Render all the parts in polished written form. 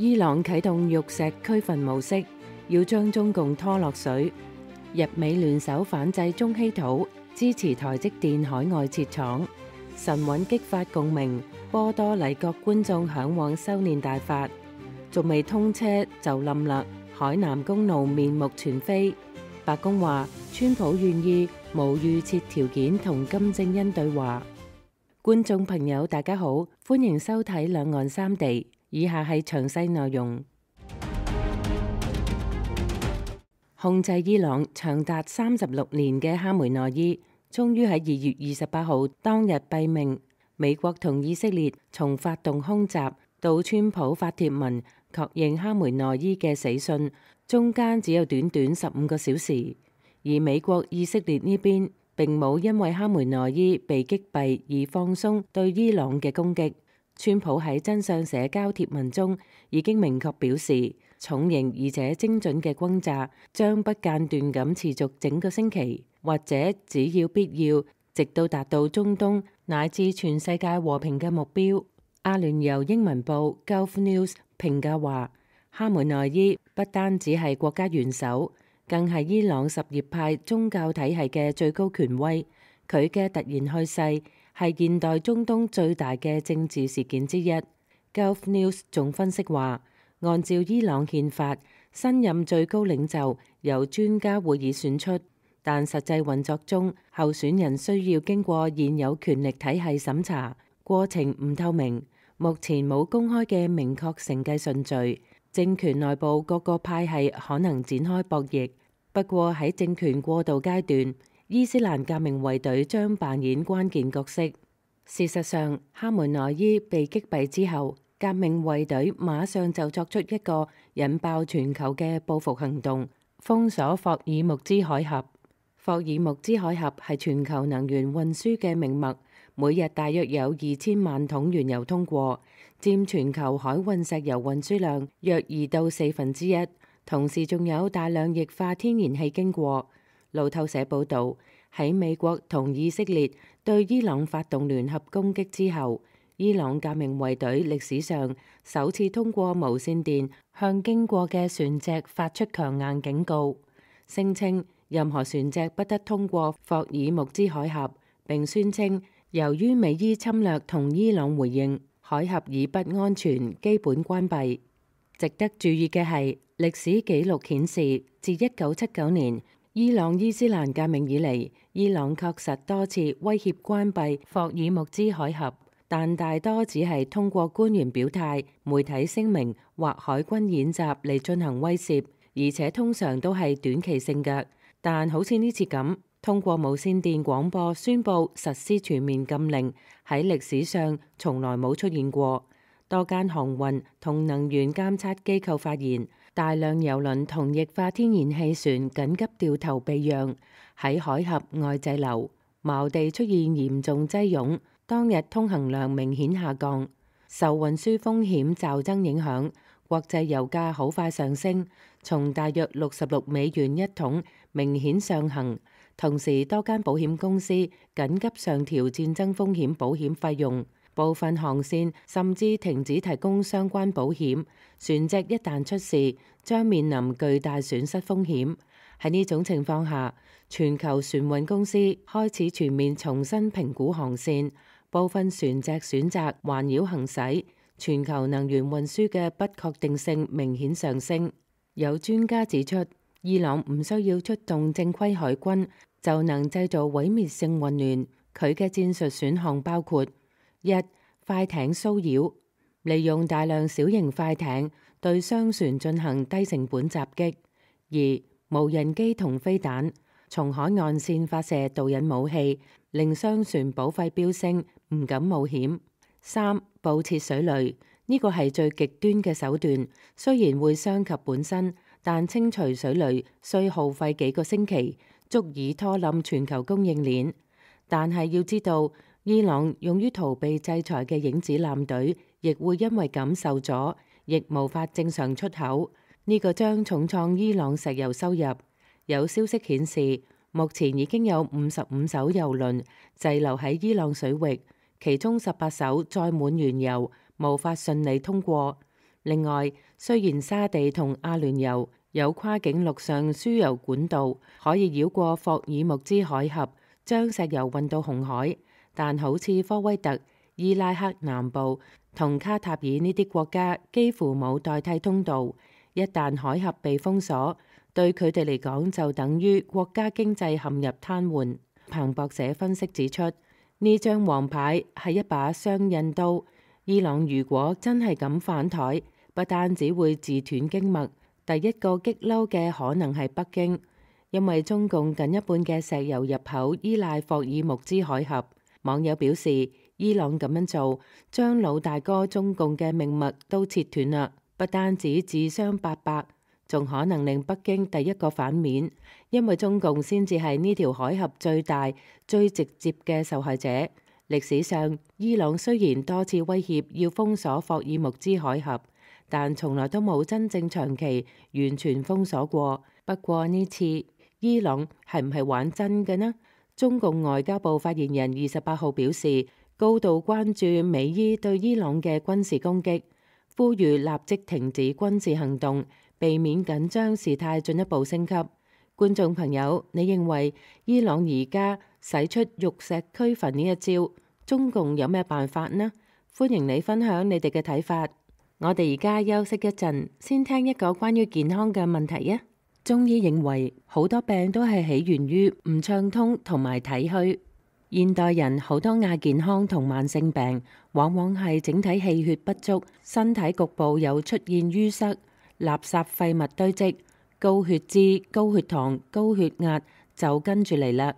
伊朗啟動玉石俱焚模式，要將中共拖落水。日美聯手反制中稀土，支持台積電海外設廠。神韻激發共鳴，波多黎各觀眾嚮往修煉大法。仲未通車就冧啦，海南公路面目全非。白宮話，川普願意無預設條件同金正恩對話。觀眾朋友大家好，歡迎收睇兩岸三地。以下係詳細內容。控制伊朗長達36年嘅哈梅內伊，終於喺2月28號當日斃命。美國同以色列從發動空襲到川普發帖文確認哈梅內伊嘅死訊，中間只有短短15個小時。而美國以色列呢邊並冇因為哈梅內伊被擊斃而放鬆對伊朗嘅攻擊。川普喺真相社交貼文中已經明確表示，重型而且精準嘅轟炸將不間斷咁持續整個星期，或者只要必要，直到達到中東乃至全世界和平嘅目標。阿聯酋英文報 Gulf News 評價話，哈梅內伊不單只係國家元首，更係伊朗什葉派宗教體系嘅最高權威。佢嘅突然去世係現代中東最大嘅政治事件之一。Gulf News 仲分析話，按照伊朗憲法，新任最高領袖由專家會議選出，但實際運作中，候選人需要經過現有權力體系審查，過程唔透明，目前冇公開嘅明確承繼順序。政權內部各個派系可能展開博弈，不過喺政權過渡階段，伊斯蘭革命衛隊將扮演關鍵角色。事實上，哈梅內伊被擊斃之後，革命衛隊馬上就作出一個引爆全球嘅報復行動，封鎖霍爾木茲海峽。霍爾木茲海峽係全球能源運輸嘅命脈，每日大約有2000萬桶原油通過，佔全球海運石油運輸量約2到1/4。同時仲有大量液化天然氣經過。路透社報導，喺美國同以色列對伊朗發動聯合攻擊之後，伊朗革命衛隊歷史上首次通過無線電向經過嘅船隻發出強硬警告，聲稱任何船隻不得通過霍爾木茲海峽，並宣稱由於美伊侵略同伊朗回應，海峽以不安全，基本關閉。值得注意嘅係，歷史記錄顯示，自1979年伊朗伊斯蘭革命以嚟，伊朗確實多次威脅關閉霍爾木茲海峽，但大多只係通過官員表態、媒體聲明或海軍演習嚟進行威懾，而且通常都係短期性嘅。但好似呢次咁，通過無線電廣播宣佈實施全面禁令，喺歷史上從來冇出現過。多間航運同能源監測機構發現，大量油輪同液化天然氣船緊急掉頭避讓，喺海峽外滯留，錨地出現嚴重擠擁，當日通行量明顯下降。受運輸風險驟增影響，國際油價好快上升，從大約$66一桶明顯上行。同時，多間保險公司緊急上調戰爭風險保險費用。部分航線甚至停止提供相關保險，船隻一旦出事，將面臨巨大損失風險。喺呢種情況下，全球船運公司開始全面重新評估航線，部分船隻選擇環繞行駛，全球能源運輸嘅不確定性明顯上升。有專家指出，伊朗唔需要出動正規海軍就能製造毀滅性混亂，佢嘅戰術選項包括：一、快艇騷擾，利用大量小型快艇對商船進行低成本襲擊；二、無人機同飛彈，從海岸線發射導引武器，令商船保費飆升，唔敢冒險；三、布設水雷，呢個係最極端嘅手段，雖然會傷及本身，但清除水雷需耗費幾個星期，足以拖冧全球供應鏈。但係要知道，伊朗用於逃避制裁嘅影子艦隊，亦會因為咁受阻，亦無法正常出口。呢個將重創伊朗石油收入。有消息顯示，目前已經有55艘油輪滯留喺伊朗水域，其中18艘載滿原油，無法順利通過。另外，雖然沙地同阿聯酋有跨境陸上輸油管道可以繞過霍爾木茲海峽，將石油運到紅海，但好似科威特、伊拉克南部同卡塔爾呢啲國家幾乎冇代替通道。一旦海峽被封鎖，對佢哋嚟講就等於國家經濟陷入癱瘓。彭博社分析指出，呢張黃牌係一把雙刃刀。伊朗如果真係咁反台，不單只會自斷經脈，第一個激嬲嘅可能係北京，因為中共近一半嘅石油入口依賴霍爾木茲海峽。網友表示，伊朗咁樣做，將老大哥中共嘅命脈都切斷啦，不單止自傷八百，仲可能令北京第一個反面，因為中共先至係呢條海峽最大、最直接嘅受害者。歷史上，伊朗雖然多次威脅要封鎖霍爾木茲海峽，但從來都冇真正長期完全封鎖過。不過呢次，伊朗係唔係玩真嘅呢？中共外交部發言人28號表示，高度關注美伊對伊朗嘅軍事攻擊，呼籲立即停止軍事行動，避免緊張事態進一步升級。觀眾朋友，你認為伊朗而家使出玉石俱焚呢一招，中共有咩辦法呢？歡迎你分享你哋嘅睇法。我哋而家休息一陣，先聽一個關於健康嘅問題啊。中醫認為好多病都係起源於唔暢通同埋體虛。現代人好多亞健康同慢性病，往往係整體氣血不足，身體局部有出現淤塞、垃圾廢物堆積。高血脂、高血糖、高血壓就跟住嚟啦。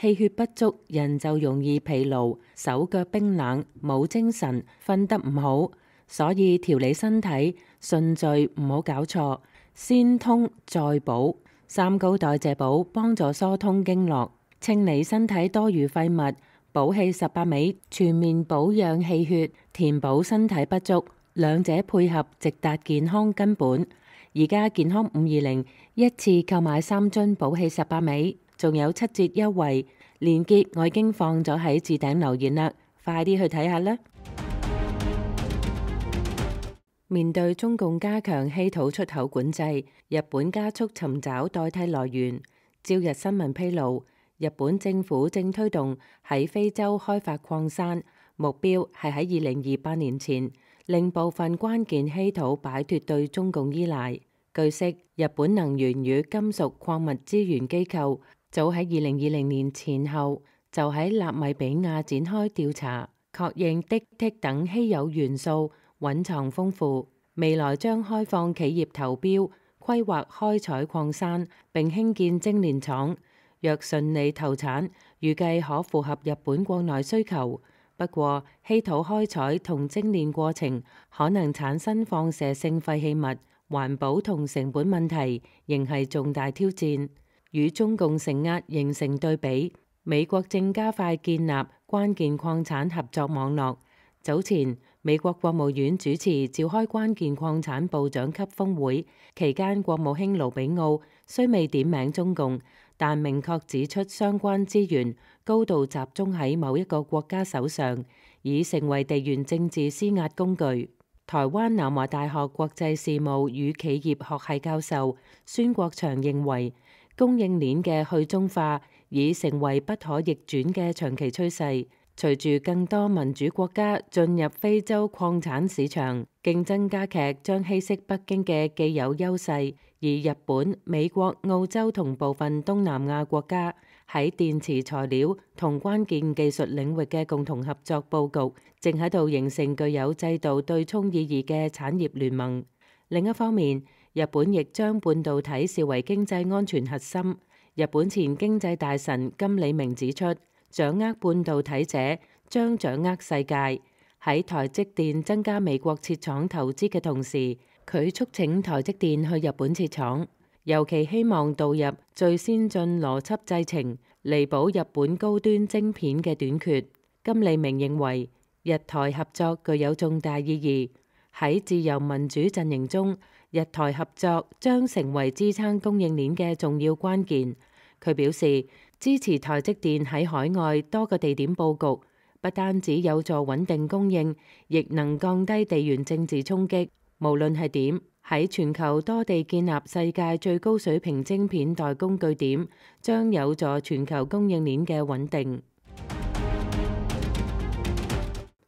氣血不足，人就容易疲勞、手腳冰冷、冇精神、瞓得唔好。所以調理身體順序唔好搞錯，先通再補。三高代謝補幫助疏通經絡，清理身體多餘廢物，補氣18味，全面保養氣血，填補身體不足，兩者配合直達健康根本。而家健康520一次購買3樽補氣18味，仲有7折優惠，鏈接我已經放咗喺置頂留言啦，快啲去睇下啦！面對中共加強稀土出口管制，日本加速尋找代替來源。朝日新聞披露，日本政府正推動喺非洲開發礦山，目標係喺2028年前令部分關鍵稀土擺脫對中共依賴。據悉，日本能源與金屬礦物資源機構早喺2020年前後就喺納米比亞展開調查，確認銫、銫等稀有元素蘊藏豐富，未來將開放企業投標規劃開採礦山並興建精煉廠。若順利投產，預計可符合日本國內需求。不過，稀土開採同精煉過程可能產生放射性廢棄物，環保同成本問題仍係重大挑戰。與中共承壓形成對比，美國正加快建立關鍵礦產合作網絡。早前，美國國務院主持召開關鍵礦產部長級峰會期間，國務卿盧比奧雖未點名中共，但明確指出相關資源高度集中喺某一個國家手上，已成為地緣政治施壓工具。台灣南華大學國際事務與企業學系教授孫國祥認為，供應鏈嘅去中化已成為不可逆轉嘅長期趨勢。隨住更多民主國家進入非洲礦產市場，競爭加劇將稀釋北京嘅既有優勢，而日本、美國、澳洲同部分東南亞國家喺電池材料同關鍵技術領域嘅共同合作佈局，正喺度形成具有制度對沖意義嘅產業聯盟。另一方面，日本亦將半導體視為經濟安全核心。日本前經濟大臣金理明指出，掌握半導體者將掌握世界。喺台積電增加美國設廠投資嘅同時，佢促請台積電去日本設廠，尤其希望導入最先進邏輯製程，彌補日本高端晶片嘅短缺。金利明認為，日台合作具有重大意義。喺自由民主陣營中，日台合作將成為支撐供應鏈嘅重要關鍵。佢表示，支持台積電喺海外多個地點佈局，不單止有助穩定供應，亦能降低地緣政治衝擊。無論係點，喺全球多地建立世界最高水平晶片代工據點，將有助全球供應鏈嘅穩定。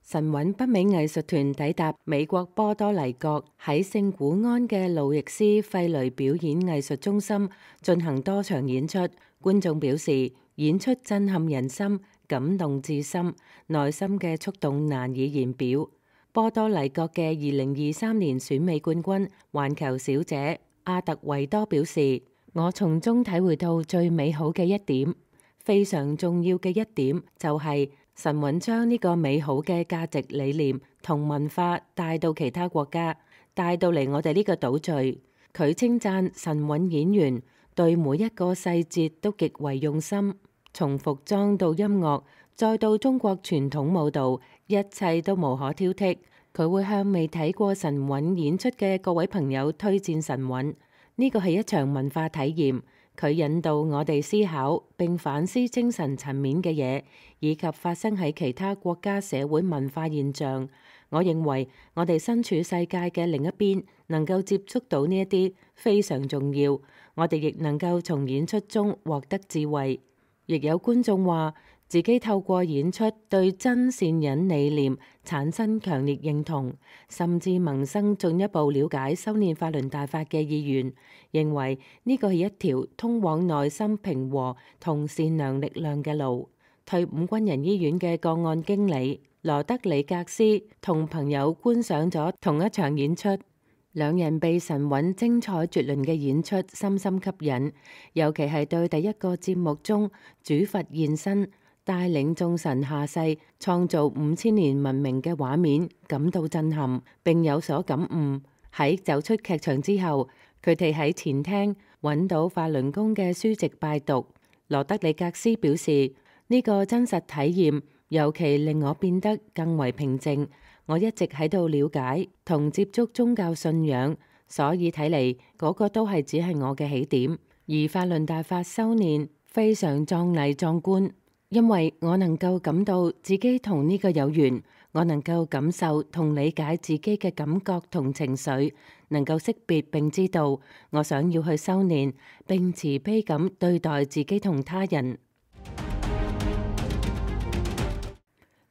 神韻北美藝術團抵達美國波多黎各，喺聖古安嘅路易斯費雷表演藝術中心進行多場演出。觀眾表示，演出震撼人心，感動至深，內心嘅觸動難以言表。波多黎各嘅2023年選美冠軍環球小姐阿特維多表示，我從中體會到最美好嘅一點，非常重要嘅一點就係神韻將呢個美好嘅價值理念同文化帶到其他國家，帶到嚟我哋呢個島嶼。佢稱讚神韻演員對每一個細節都極為用心，從服裝到音樂，再到中國傳統舞蹈，一切都無可挑剔。佢會向未睇過神韻演出嘅各位朋友推薦神韻，呢個係一場文化體驗。佢引導我哋思考並反思精神層面嘅嘢，以及發生喺其他國家社會文化現象。我認為我哋身處世界嘅另一邊，能夠接觸到呢一啲非常重要。我哋亦能夠從演出中獲得智慧。亦有觀眾話自己透過演出對真善忍理念產生強烈認同，甚至萌生進一步了解修煉法輪大法嘅意願，認為呢個係一條通往內心平和同善良力量嘅路。退伍軍人醫院嘅個案經理羅德里格斯同朋友觀賞咗同一場演出，兩人被神韻精彩絕倫嘅演出深深吸引，尤其係對第一個節目中主佛現身帶領眾神下世創造5000年文明嘅畫面感到震撼並有所感悟。喺走出劇場之後，佢哋喺前廳揾到法輪功嘅書籍拜讀。羅德里格斯表示，呢個真實體驗尤其令我變得更為平靜。我一直喺度了解同接觸宗教信仰，所以睇嚟嗰個都係只係我嘅起點。而法輪大法修煉非常壯麗壯觀，因為我能夠感到自己同呢個有緣，我能夠感受同理解自己嘅感覺同情緒，能夠識別並知道我想要去修煉，並慈悲咁對待自己同他人。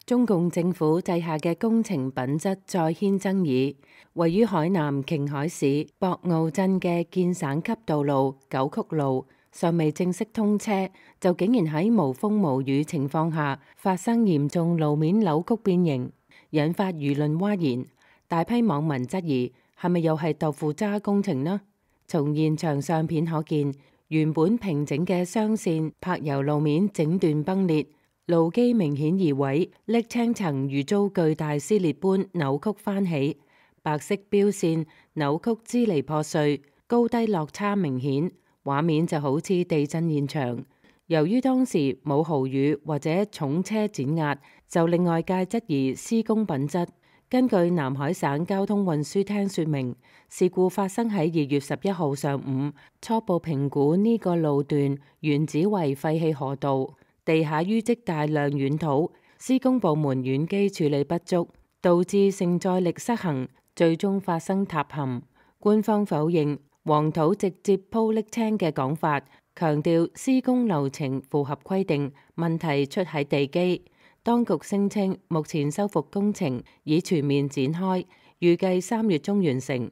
中共政府制下嘅工程品質再掀爭議，位於海南瓊海市博鰲鎮嘅建省級道路九曲路尚未正式通車，就竟然喺無風無雨情況下發生嚴重路面扭曲變形，引發輿論譁然。大批網民質疑係咪又係豆腐渣工程呢？從現場相片可見，原本平整嘅雙線柏油路面整段崩裂，路基明顯移位，瀝青層如遭巨大撕裂般扭曲翻起，白色標線扭曲支離破碎，高低落差明顯，畫面就好似地震現場。由於當時冇豪雨或者重車碾壓，就令外界質疑施工品質。根據南海省交通運輸廳說明，事故發生喺2月11號上午，初步評估呢個路段原址為廢棄河道，地下淤積大量軟土，施工部門軟基處理不足，導致承載力失衡，最終發生塌陷。官方否認黃土直接鋪瀝青嘅講法，強調施工流程符合規定，問題出喺地基。當局聲稱目前修復工程已全面展開，預計3月中完成，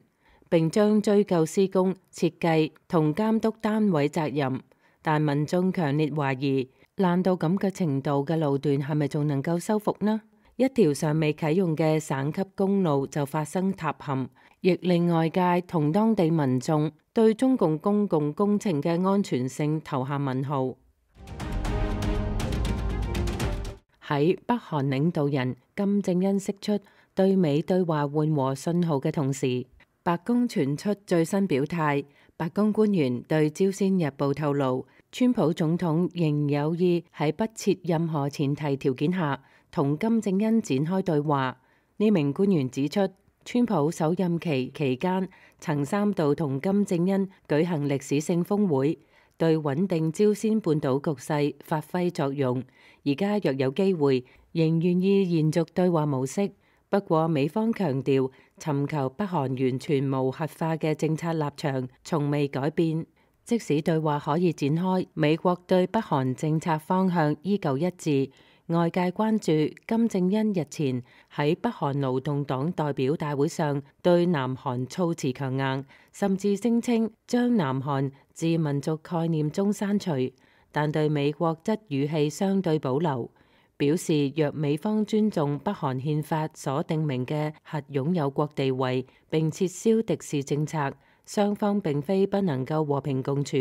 並將追究施工、設計同監督單位責任。但民眾強烈懷疑，爛到咁嘅程度嘅路段係咪仲能夠修復呢？一條尚未啟用嘅省級公路就發生塌陷，亦令外界同當地民眾對中共公共工程嘅安全性投下問號。喺北韓領導人金正恩釋出對美對話緩和信號嘅同時，白宮傳出最新表態。白宮官員對朝鮮日報透露，川普總統仍有意喺不設任何前提條件下同金正恩展開對話。呢名官員指出，川普首任期期間曾3度同金正恩舉行歷史性峰會，對穩定朝鮮半島局勢發揮作用。而家若有機會，仍願意延續對話模式。不過美方強調尋求北韓完全無核化嘅政策立場從未改變。即使對話可以展開，美國對北韓政策方向依舊一致。外界關注金正恩日前喺北韓勞動黨代表大會上對南韓措辭強硬，甚至聲稱將南韓自民族概念中刪除，但對美國則語氣相對保留，表示若美方尊重北韓憲法所定明嘅核擁有國地位並撤銷敵視政策，雙方並非不能夠和平共處。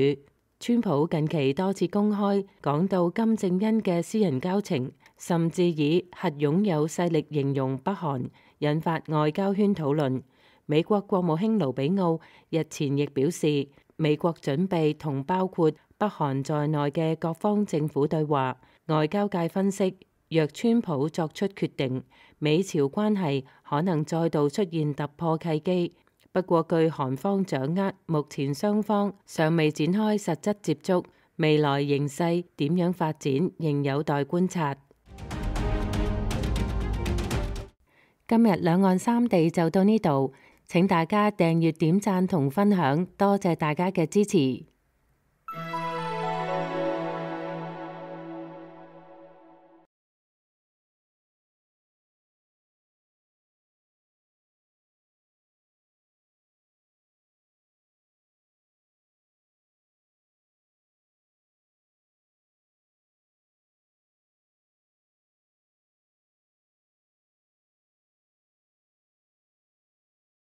川普近期多次公開講到金正恩嘅私人交情，甚至以核擁有勢力形容北韓，引發外交圈討論。美國國務卿盧比奧日前亦表示，美國準備同包括北韓在內嘅各方政府對話。外交界分析，若川普作出決定，美朝關係可能再度出現突破契機。不過據韓方掌握，目前雙方尚未展開實質接觸，未來形勢點樣發展仍有待觀察。今日兩岸三地就到呢度，請大家訂閱、點讚同分享，多謝大家嘅支持。